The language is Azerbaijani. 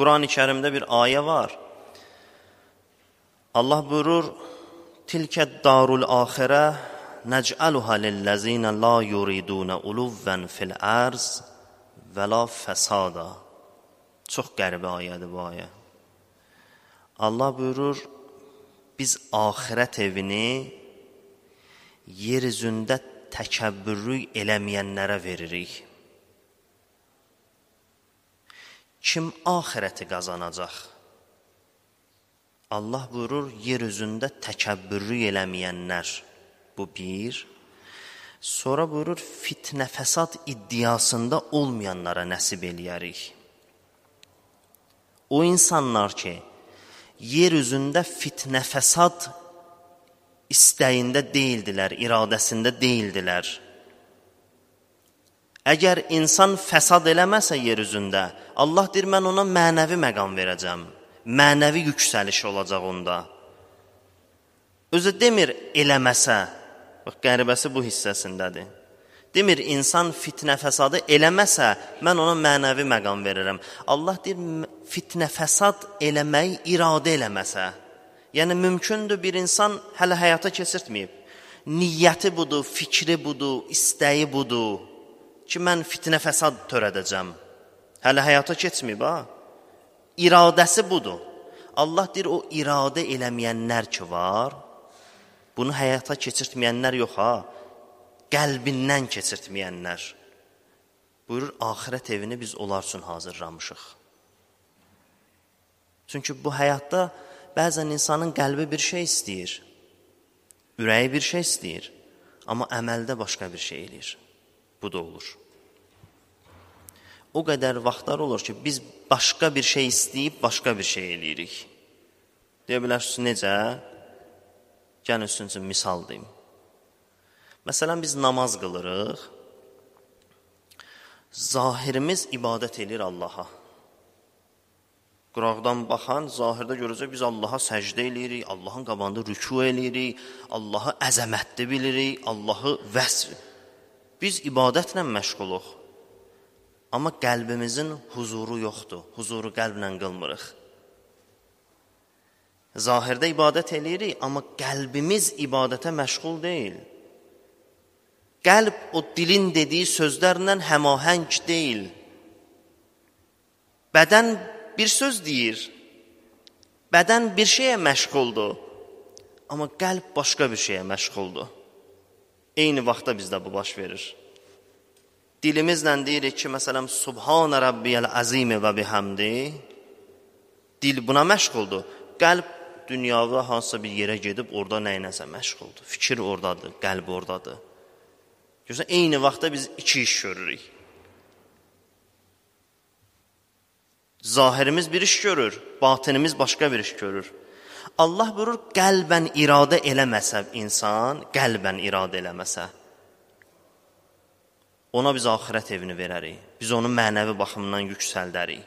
Quran-ı Kərimdə bir ayə var. Allah buyurur: "Tilkə darul axirə nec'aluha lillezine la yuridun uluven fil arz və la fesada." Çox qəribə ayədir bu ayə. Allah buyurur: "Biz axirət evini yer üzündə təkəbbürlük eləməyənlərə veririk." Kim axirəti qazanacaq? Allah buyurur, yer üzündə təkəbbürlük eləməyənlər. Bu bir. Sonra buyurur, fitnə fəsad iddiasında olmayanlara nəsib eləyərik. O insanlar ki, yer üzündə fitnə fəsad istəyində deyildilər, iradəsində deyildilər. Əgər insan fəsad eləməsə yer üzündə, Allah deyir, mən ona mənəvi məqam verəcəm. Mənəvi yüksəliş olacaq onda. Özü demir, eləməsə. Bax, qəribəsi bu hissəsindədir. Demir, insan fitnə fəsadı eləməsə, mən ona mənəvi məqam verirəm. Allah deyir, fitnə fəsad eləməyi iradə eləməsə. Yəni, mümkündür bir insan hələ həyata keçirtməyib. Niyyəti budur, fikri budur, istəyi budur ki, mən fitnə fəsad törədəcəm. Hələ həyata keçməyib, ha? İradəsi budur. Allah deyir, o iradə eləməyənlər ki var, bunu həyata keçirtməyənlər yox, ha? Qəlbindən keçirtməyənlər. Buyurur, axirət evini biz onlar üçün hazırlamışıq. Çünki bu həyatda bəzən insanın qəlbi bir şey istəyir, ürəyi bir şey istəyir, amma əməldə başqa bir şey eləyir. Bu da olur. O qədər vaxtlar olur ki, biz başqa bir şey istəyib, başqa bir şey eləyirik. Deyə bilərsiniz, necə? Gəlin üstüncə misal deyim. Məsələn, biz namaz qılırıq, zahirimiz ibadət edir Allaha. Qıraqdan baxan, zahirdə görəcək, biz Allaha səcdə eləyirik, Allahın qabağında rükû eləyirik, Allahı əzəmətli bilirik, Allahı vəsf. Biz ibadətlə məşğuluq. Amma qəlbimizin huzuru yoxdur, huzuru qəlblə qılmırıq. Zahirdə ibadət eləyirik, amma qəlbimiz ibadətə məşğul deyil. Qəlb o dilin dediyi sözlərlə həmahəng deyil. Bədən bir söz deyir, bədən bir şeyə məşğuldur, amma qəlb başqa bir şeyə məşğuldur. Eyni vaxtda bizdə bu baş verir. Dilimizlə deyirik ki, məsələn, Subhanə Rabbiyəl Azim və bihamdi, dil buna məşğuldur. Qəlb dünyada hansısa bir yerə gedib, orada nəyinəsə məşğuldur. Fikir oradadır, qəlb oradadır. Görürsən, eyni vaxtda biz iki iş görürük. Zahirimiz bir iş görür, batinimiz başqa bir iş görür. Allah buyurur, qəlbən iradə eləməsə insan, qəlbən iradə eləməsə, ona biz axirət evini verərik. Biz onu mənəvi baxımdan yüksəldərik.